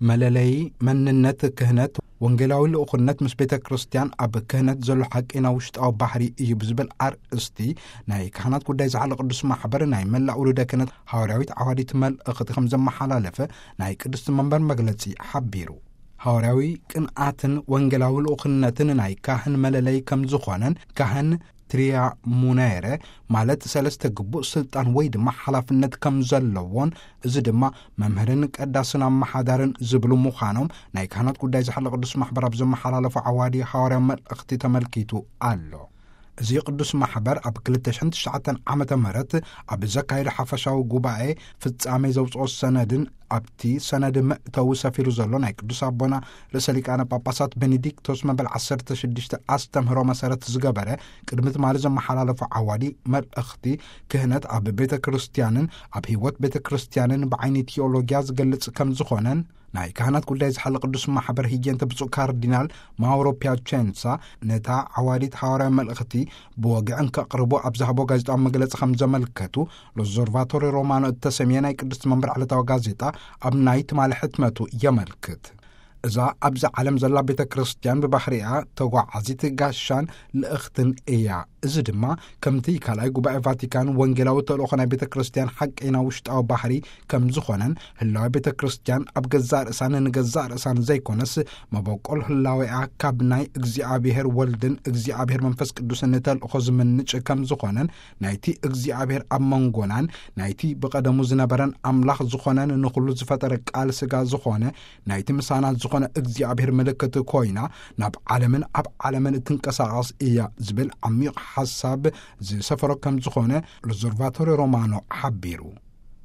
መለለዪ መንነት ክህነት፣ ወንጌላዊ ልኡኽነት ምስ ቤተ ክርስቲያን ኣብ ክህነት ዘሎ ሓቀይና ውሽጣዊ ባህሪ እዩ ብዝብል ኣርእስቲ፣ ናይ ካህናት ጉዳይ ዝሓለ ቅዱስ ማሕበር ናይ መላእ ውሉደ ክህነት ሃዋርያዊት ዓዋዲት መልእኽቲ ከም ዘመሓላለፈ ናይ ቅድስቲ መንበር መግለጺ ሓቢሩ። ሃዋርያዊ ቅንኣትን ወንጌላዊ ልኡኽነትን ናይ ካህን መለለዪ ከም ዝኾነን፣ ካህን ትሪያ ሙኔረ ማለት ሰለስተ ግቡእ ስልጣን ወይ ድማ ሓላፍነት ከም ዘለዎን፣ እዚ ድማ መምህርን ቀዳስን ኣመሓዳርን ዝብሉ ምዃኖም ናይ ካህናት ጉዳይ ዝሓለ ቅዱስ ማሕበር ኣብ ዘመሓላለፎ ዓዋዲ ሃዋርያ መልእኽቲ ተመልኪቱ ኣሎ። እዚ ቅዱስ ማሕበር ኣብ ክልተ ሽሕን ትሽዓተን ዓመተ ምህረት ኣብ ዘካየደ ሓፈሻዊ ጉባኤ ፍጻሜ ዘውፅኦ ሰነድን ኣብቲ ሰነድ መእተዊ ሰፊሩ ዘሎ ናይ ቅዱስ ኣቦና ርእሰ ሊቃነ ጳጳሳት ቤኔዲክቶስ መበል ዓሰርተ ሽዱሽተ ኣስተምህሮ መሰረት ዝገበረ ቅድሚ ትማሊ ዘመሓላለፎ ዓዋዲ መልእኽቲ ክህነት ኣብ ቤተ ክርስቲያንን ኣብ ህይወት ቤተ ክርስቲያንን ብዓይኒ ቲዮሎጊያ ዝገልጽ ከም ዝኾነን ናይ ካህናት ጉዳይ ዝሓለ ቅዱስ ማሕበር ህየንተ ብፁዕ ካርዲናል ማውሮ ፒያቸንሳ ነታ ዓዋዲት ሃዋርያ መልእኽቲ ብወግዕን ከቕርቦ ኣብ ዝሃቦ ጋዜጣዊ መግለጺ ከም ዘመልከቱ ሎዞርቫቶሪ ሮማኖ እተሰምየ ናይ ቅድስቲ መንበር ዕለታዊ ጋዜጣ ኣብ ናይ ትማሊ ሕትመቱ የመልክት። እዛ ኣብዚ ዓለም ዘላ ቤተ ክርስቲያን ብባህሪኣ ተጓዓዚት ጋሻን ልእኽትን እያ። እዚ ድማ ከምቲ ካልኣይ ጉባኤ ቫቲካን ወንጌላዊ ተልእኾ ናይ ቤተ ክርስቲያን ሓቀይና ውሽጣዊ ባህሪ ከም ዝኾነን ህላዊ ቤተ ክርስቲያን ኣብ ገዛእ ርእሳን ንገዛእ ርእሳን ዘይኮነስ መበቆል ህላዌኣ ካብ ናይ እግዚኣብሔር ወልድን እግዚኣብሔር መንፈስ ቅዱስን ተልእኾ ዝምንጭ ከም ዝኾነን ናይቲ እግዚኣብሔር ኣብ መንጎናን ናይቲ ብቐደሙ ዝነበረን ኣምላኽ ዝኾነን ንኹሉ ዝፈጠረ ቃል ስጋ ዝኾነ ናይቲ ምሳና ዝኾነ እግዚኣብሔር ምልክት ኮይና ናብ ዓለምን ኣብ ዓለምን እትንቀሳቐስ እያ ዝብል ዓሚቕ ሓሳብ ዝሰፈሮ ከም ዝኾነ ሎዞርቫቶሪ ሮማኖ ሓቢሩ።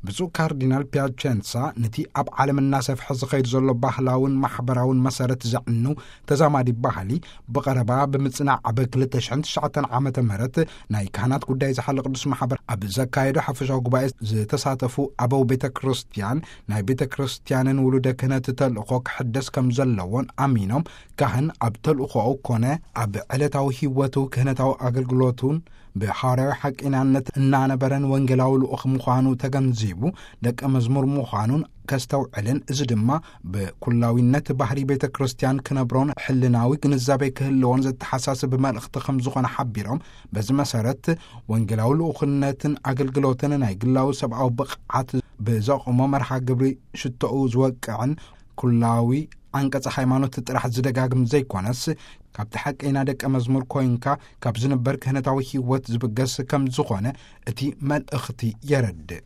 ብፁዕ ካርዲናል ፒያቸንሳ ነቲ ኣብ ዓለም እናሰፍሐ ዝኸይድ ዘሎ ባህላውን ማሕበራውን መሰረት ዘዕኑ ተዛማዲ ባህሊ ብቐረባ ብምጽናዕ ኣብ ክልተ ሽሕን ትሽዓተን ዓመተ ምህረት ናይ ካህናት ጉዳይ ዝሓለ ቅዱስ ማሕበር ኣብ ዘካየዶ ሓፈሻዊ ጉባኤ ዝተሳተፉ ኣበው ቤተ ክርስቲያን ናይ ቤተ ክርስቲያንን ውሉደ ክህነት ተልእኾ ክሕደስ ከም ዘለዎን ኣሚኖም ካህን ኣብ ተልእኾኡ ኮነ ኣብ ዕለታዊ ህይወቱ ክህነታዊ ኣገልግሎቱን ብሃዋርያዊ ሓቂናነት እናነበረን ወንጌላዊ ልኡኽ ምዃኑ ተገንዚቡ ደቀ መዝሙር ምዃኑን ከስተውዕልን፣ እዚ ድማ ብኩላዊነት ባህሪ ቤተ ክርስቲያን ክነብሮን ሕልናዊ ግንዛቤ ክህልዎን ዘተሓሳስብ መልእኽቲ ከም ዝኾነ ሓቢሮም፣ በዚ መሰረት ወንጌላዊ ልኡኽነትን ኣገልግሎትን ናይ ግላዊ ሰብኣዊ ብቕዓት ብዘቕሞ መርሃ ግብሪ ሽቶኡ ዝወቅዕን ኩላዊ ዓንቀጸ ሃይማኖት ጥራሕ ዝደጋግም ዘይኮነስ፣ ካብቲ ሓቀይና ደቀ መዝሙር ኮይንካ ካብ ዝንበር ክህነታዊ ህይወት ዝብገስ ከም ዝኾነ እቲ መልእኽቲ የረድእ።